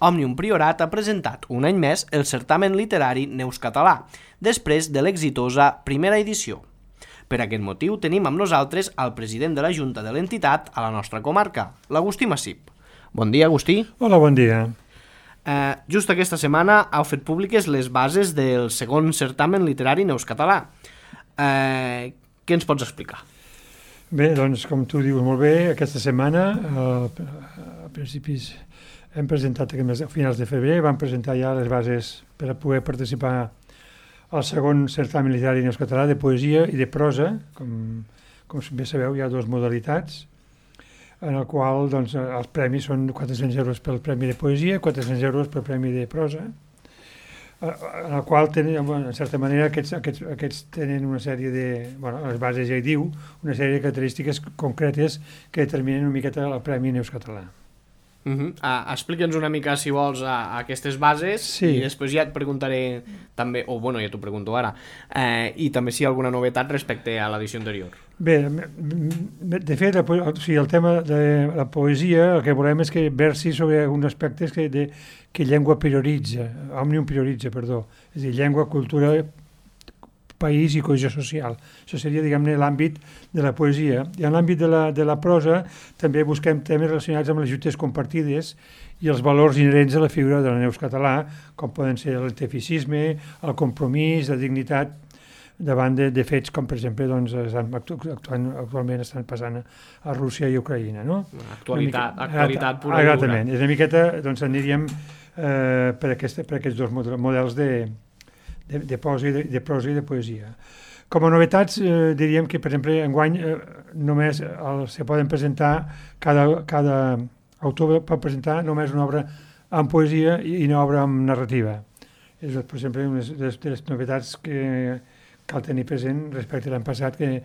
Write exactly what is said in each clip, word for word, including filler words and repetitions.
Òmnium Priorat ha presentat un any més el certamen literari Neus Català, després de l'exitosa primera edició. Per aquest motiu tenim amb nosaltres el president de la Junta de l'entitat a la nostra comarca, l'Agustí Massip. Bon dia, Agustí. Hola, bon dia. Eh, just aquesta setmana heu fet públiques les bases del segon certamen literari Neus Català. Eh, què ens pots explicar? Bé, doncs, com tu dius molt bé, aquesta setmana, eh, a principis, hem presentat a finals de febrer, vam presentar ja les bases per a poder participar al segon certamen literari Neus Català de poesia i de prosa. Com, com bé sabeu, hi ha dues modalitats, en el qual doncs, els premis són quatre-cents euros pel premi de poesia i quatre-cents euros pel premi de prosa, en el qual, tenen, en certa manera, aquests, aquests, aquests tenen una sèrie de, bueno, les bases ja hi diu, una sèrie de característiques concretes que determinen una miqueta el Premi Neus Català. Uh-huh. Ah, explica'ns una mica, si vols, a, a aquestes bases, sí. I després ja et preguntaré també, o bueno, ja t'ho pregunto ara, eh, i també si hi ha alguna novetat respecte a l'edició anterior. Bé, de fet, la, o sigui, el tema de la poesia, el que volem és que versi sobre alguns aspectes que, de, que llengua prioritza, Òmnium prioritza, perdó, és a dir, llengua, cultura, país i cohesió social. Això seria, diguem-ne, l'àmbit de la poesia. I en l'àmbit de la, de la prosa també busquem temes relacionats amb les lluites compartides i els valors inherents a la figura de la Neus Català, com poden ser el tefisisme, el compromís, la dignitat, davant de, de fets com, per exemple, doncs, actuant, actualment estan passant a Rússia i Ucraïna. No? Actualitat, mica, actualitat pura i dura. Exactament. És una miqueta, doncs, aniríem eh, per, aquest, per aquests dos models de De, de, prosa i de, de prosa i de poesia. Com a novetats, eh, diríem que, per exemple, enguany eh, només el, se poden presentar, cada, cada autor pot presentar només una obra en poesia i, i una obra en narrativa. És, per exemple, una de les, de les novetats que cal tenir present respecte a l'any passat, que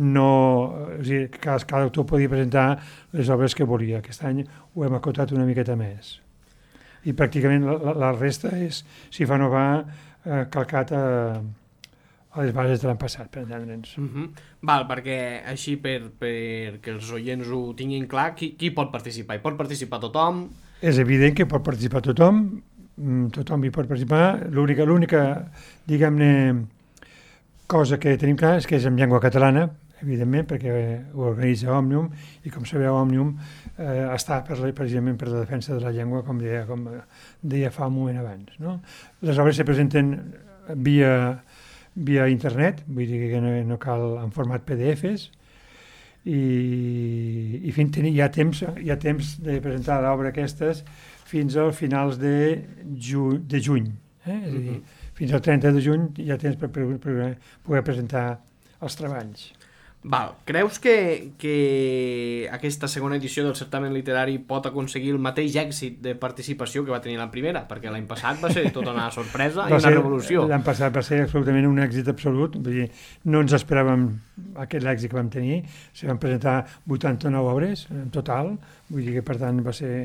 no, o sigui, cada, cada autor podia presentar les obres que volia. Aquest any ho hem acotat una miqueta més. I pràcticament la, la, la resta és, si fa no va, Eh, calcat a, a les bases de l'any passat, per entendre'ns. Uh-huh. Val, perquè així per, per que els oients ho tinguin clar, qui, qui pot participar? Hi pot participar tothom? És evident que pot participar tothom, tothom hi pot participar. L'única, l'única, diguem-ne, cosa que tenim clar és que és en llengua catalana, evidentment, perquè ho organitza Òmnium, i com sabeu, Òmnium eh, està per, precisament per la defensa de la llengua, com deia, com deia fa un moment abans. No? Les obres se presenten via, via internet, vull dir que no, no cal en format P D Fs, i, i fins, hi, ha temps, hi ha temps de presentar l'obra aquestes fins als finals de, ju, de juny. Eh? És a dir, fins al trenta de juny hi ha temps per, per, per poder presentar els treballs. Val. Creus que, que aquesta segona edició del certamen literari pot aconseguir el mateix èxit de participació que va tenir la primera? Perquè l'any passat va ser tota una sorpresa i una ser, revolució. L'any passat va ser absolutament un èxit absolut. Vull dir, no ens esperàvem aquest èxit que vam tenir. Se van presentar vuitanta-nou obres en total. Vull dir que, per tant, va ser,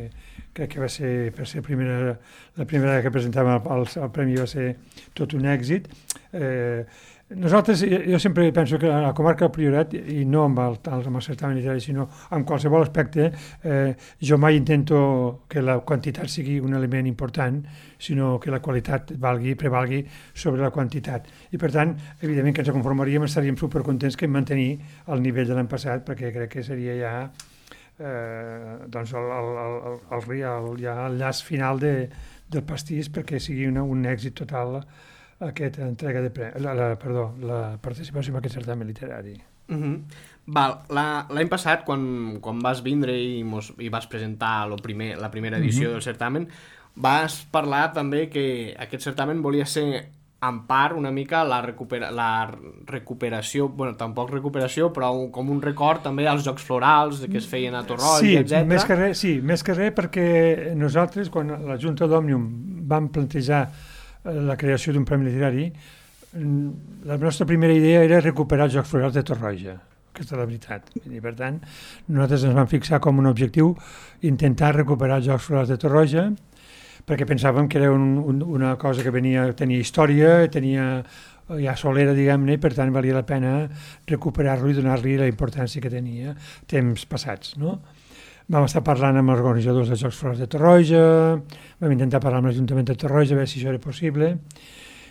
crec que va ser, per ser primera, la primera que presentàvem el, el premi va ser tot un èxit. Eh, Nosaltres, jo sempre penso que a la comarca del Priorat, i no amb el, amb el certamen literari, sinó amb qualsevol aspecte, eh, jo mai intento que la quantitat sigui un element important, sinó que la qualitat valgui, prevalgui sobre la quantitat. I per tant, evidentment que ens conformaríem, estaríem supercontents que mantenir el nivell de l'any passat, perquè crec que seria ja eh, doncs el, el, el, el, el, ja el llaç final de, del pastís, perquè sigui una, un èxit total aquesta entrega de premi, la, la, perdó, la participació en aquest certamen literari. Uh-huh. Val, l'any passat, quan, quan vas vindre i, mos, i vas presentar lo primer, la primera edició uh-huh. del certamen, vas parlar també que aquest certamen volia ser en part una mica la, recupera, la recuperació, bueno, tampoc recuperació, però un, com un record també als Jocs Florals que es feien a Torroja, sí, etcètera. Més que res, sí, més que res perquè nosaltres, quan la Junta d'Òmnium vam plantejar la creació d'un premi literari, la nostra primera idea era recuperar els Jocs Florals de Torroja. Aquesta és la veritat. I per tant, nosaltres ens vam fixar com un objectiu intentar recuperar els Jocs Florals de Torroja, perquè pensàvem que era un, un, una cosa que venia, tenia història, tenia ja solera, diguem-ne, i per tant valia la pena recuperar-lo i donar-li la importància que tenia temps passats, no? vam estar parlant amb els organitzadors dels Jocs Florals de Torroja, vam intentar parlar amb l'Ajuntament de Torroja a veure si això era possible,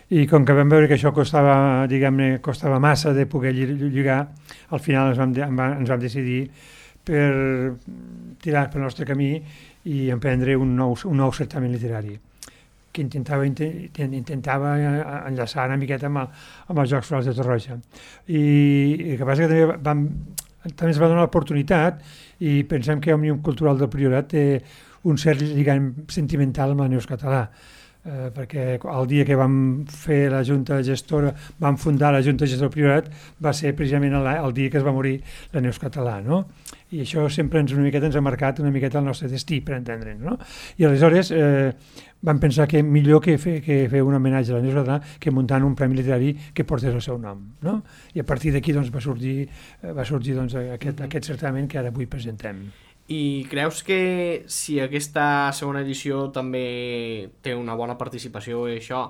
i com que vam veure que això costava, diguem-ne, costava massa de poder lligar, al final ens vam, ens vam decidir per tirar pel nostre camí i emprendre un nou, un nou certamen literari que intentava, intentava enllaçar una miqueta amb, el, amb els Jocs Florals de Torroja. I, i el que passa que també, vam, també ens va donar l'oportunitat i pensem que Òmnium Cultural del Priorat té un cert lligam sentimental amb la Neus Català. Eh, perquè el dia que vam fer la Junta Gestora, vam fundar la Junta Gestora del Priorat, va ser precisament el, el dia que es va morir la Neus Català, no? I això sempre ens, una miqueta ens ha marcat una miqueta el nostre destí, per entendre'ns, no? I aleshores eh, vam pensar que millor que fer, que fer un homenatge a la Neus Català que muntant un premi literari que portés el seu nom, no? I a partir d'aquí doncs, va sorgir, va sorgir doncs, aquest, aquest certamen que ara avui presentem. I creus que si aquesta segona edició també té una bona participació i això,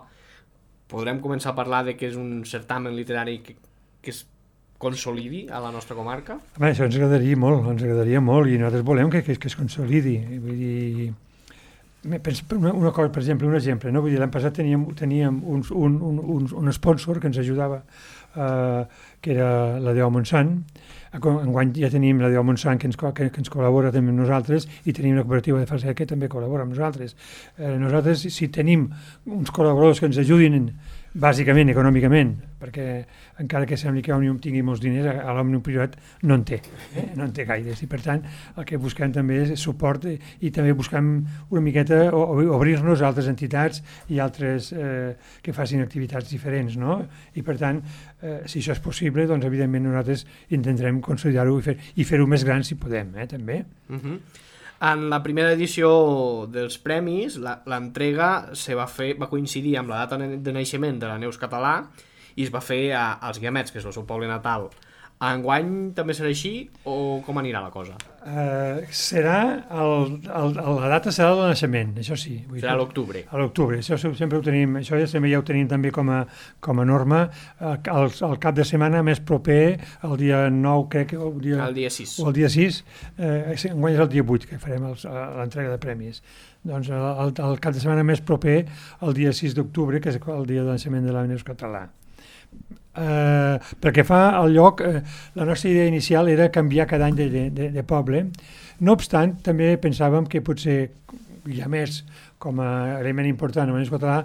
podrem començar a parlar de que és un certamen literari que, que es consolidi a la nostra comarca? Home, això ens agradaria molt, ens agradaria molt i nosaltres volem que, que, que es consolidi. Vull dir, una, una cosa, per exemple, un exemple, no? Vull dir, l'any passat teníem, teníem un, un, un, un sponsor que ens ajudava, eh, que era la Déu Montsant. Enguany ja tenim la Déu Montsant que ens, que, que ens col·labora també amb nosaltres i tenim la cooperativa de Falset que també col·labora amb nosaltres. Eh, nosaltres, si tenim uns col·laboradors que ens ajudin bàsicament, econòmicament, perquè encara que sembli que Òmnium tingui molts diners, a l'Òmnium Priorat no en té, eh? no en té gaires, i per tant el que busquem també és suport i, i també busquem una miqueta obrir-nos a altres entitats i altres eh, que facin activitats diferents, no? I per tant, eh, si això és possible, doncs evidentment nosaltres intentarem consolidar-ho i fer, i fer-ho més gran si podem, eh, també. Uh-huh. En la primera edició dels premis, l'entrega se va fer, va coincidir amb la data de naixement de la Neus Català i es va fer a, als Guiamets, que és el seu poble natal. Enguany també serà així o com anirà la cosa? Uh, serà, el, el, la data serà el naixement, això sí. Vull serà a l'octubre. A l'octubre, això sempre ho tenim, això ja, sempre ja ho tenim també com a, com a norma. El, el cap de setmana més proper, el dia nou, crec que... El dia, el dia sis. O el dia sis, eh, enguany és el dia vuit que farem l'entrega de premis. Doncs el, el, el cap de setmana més proper, el dia sis d'octubre, que és el dia de naixement de la Neus Català. Uh, perquè fa el lloc, uh, la nostra idea inicial era canviar cada any de, de, de poble. No obstant, també pensàvem que potser hi ha més com a element important a Neus Català,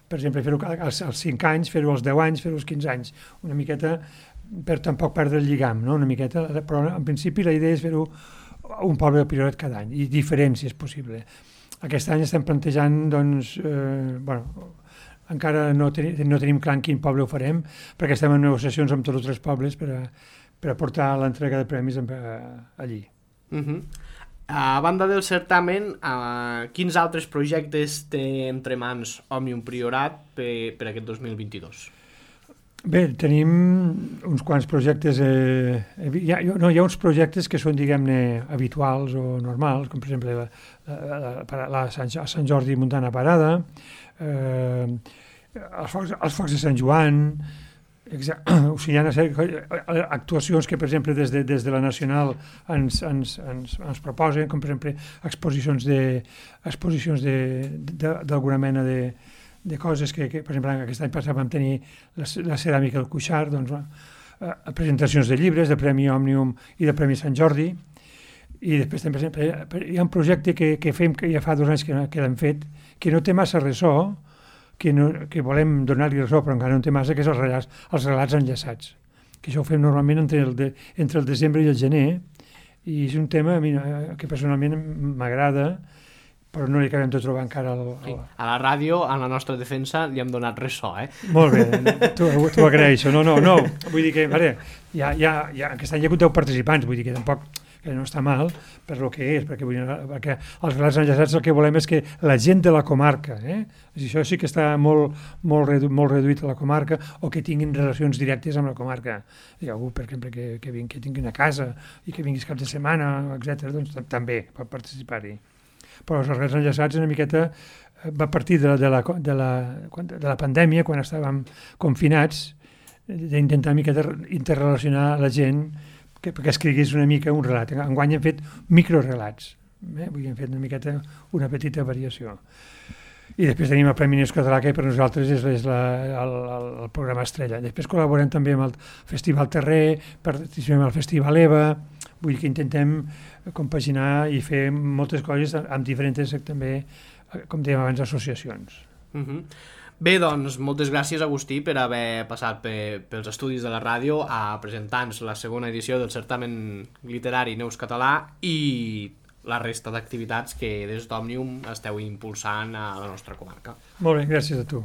per exemple, fer-ho als, als cinc anys, fer-ho als deu anys, fer-ho als quinze anys, una miqueta per tampoc perdre el lligam, no? Una miqueta, però en principi la idea és fer-ho un poble del Priorat cada any, i diferent si és possible. Aquest any estem plantejant, doncs, eh, bueno, encara no, ten no tenim clar en quin poble ho farem, perquè estem en negociacions amb tots els tres pobles per a, per a portar l'entrega de premis a, a, allí. Uh-huh. A banda del certamen, uh, quins altres projectes té entre mans Òmnium Priorat per, per aquest dos mil vint-i-dos? Bé, tenim uns quants projectes, eh, hi, ha, no, hi ha uns projectes que són, diguem-ne, habituals o normals, com per exemple la, la, la, la Sant, Sant Jordi Muntana Parada, eh, els, focs, els focs de Sant Joan, o sigui, hi ha actuacions que, per exemple, des de, des de la Nacional ens, ens, ens, ens proposen, com per exemple exposicions de, exposicions d'alguna mena de, de coses que, que, per exemple, aquest any passat vam tenir la, la ceràmica del Cuixart, doncs, eh, presentacions de llibres, de Premi Òmnium i de Premi Sant Jordi, i després també, per exemple, hi ha un projecte que, que fem, que ja fa dos anys que, que l'hem fet, que no té massa ressò, que, no, que volem donar-li ressò, però encara no té massa, que és els relats, els relats enllaçats, que això ho fem normalment entre el, de, entre el desembre i el gener, i és un tema a mi, que personalment m'agrada, però no li acabem de trobar encara el, el... Sí. A la ràdio, a la nostra defensa, li hem donat ressò, eh? Molt bé, t'ho agraeixo. No, no, no, vull dir que, veure, ja, ja, ja, aquest any hi ha hagut deu participants, vull dir que tampoc que no està mal per lo que és, perquè, vull dir, perquè els relats enllaçats el que volem és que la gent de la comarca, eh? Això sí que està molt, molt, redu molt reduït a la comarca, o que tinguin relacions directes amb la comarca. Hi ha algú, per exemple, que, que, vingui, que tingui una casa i que vinguis cap de setmana, etcètera, doncs també pot participar-hi. Però els relats enllaçats una miqueta va partir de la, de la, de la, de la pandèmia, quan estàvem confinats, d'intentar una miqueta interrelacionar la gent que, perquè escrigués una mica un relat. Enguany hem fet microrelats, eh? Vull dir, hem fet una miqueta, una petita variació. I després tenim el Premi Neus Català, que per nosaltres és, és la, el, el programa estrella. Després col·laborem també amb el Festival Terrer, participem al Festival EVA, vull dir que intentem compaginar i fer moltes coses amb diferents, també, com dèiem abans, associacions. Uh-huh. Bé, doncs, moltes gràcies, Agustí, per haver passat pe, pels estudis de la ràdio a presentar-nos la segona edició del certamen literari Neus Català i la resta d'activitats que des d'Òmnium esteu impulsant a la nostra comarca. Molt bé, gràcies a tu.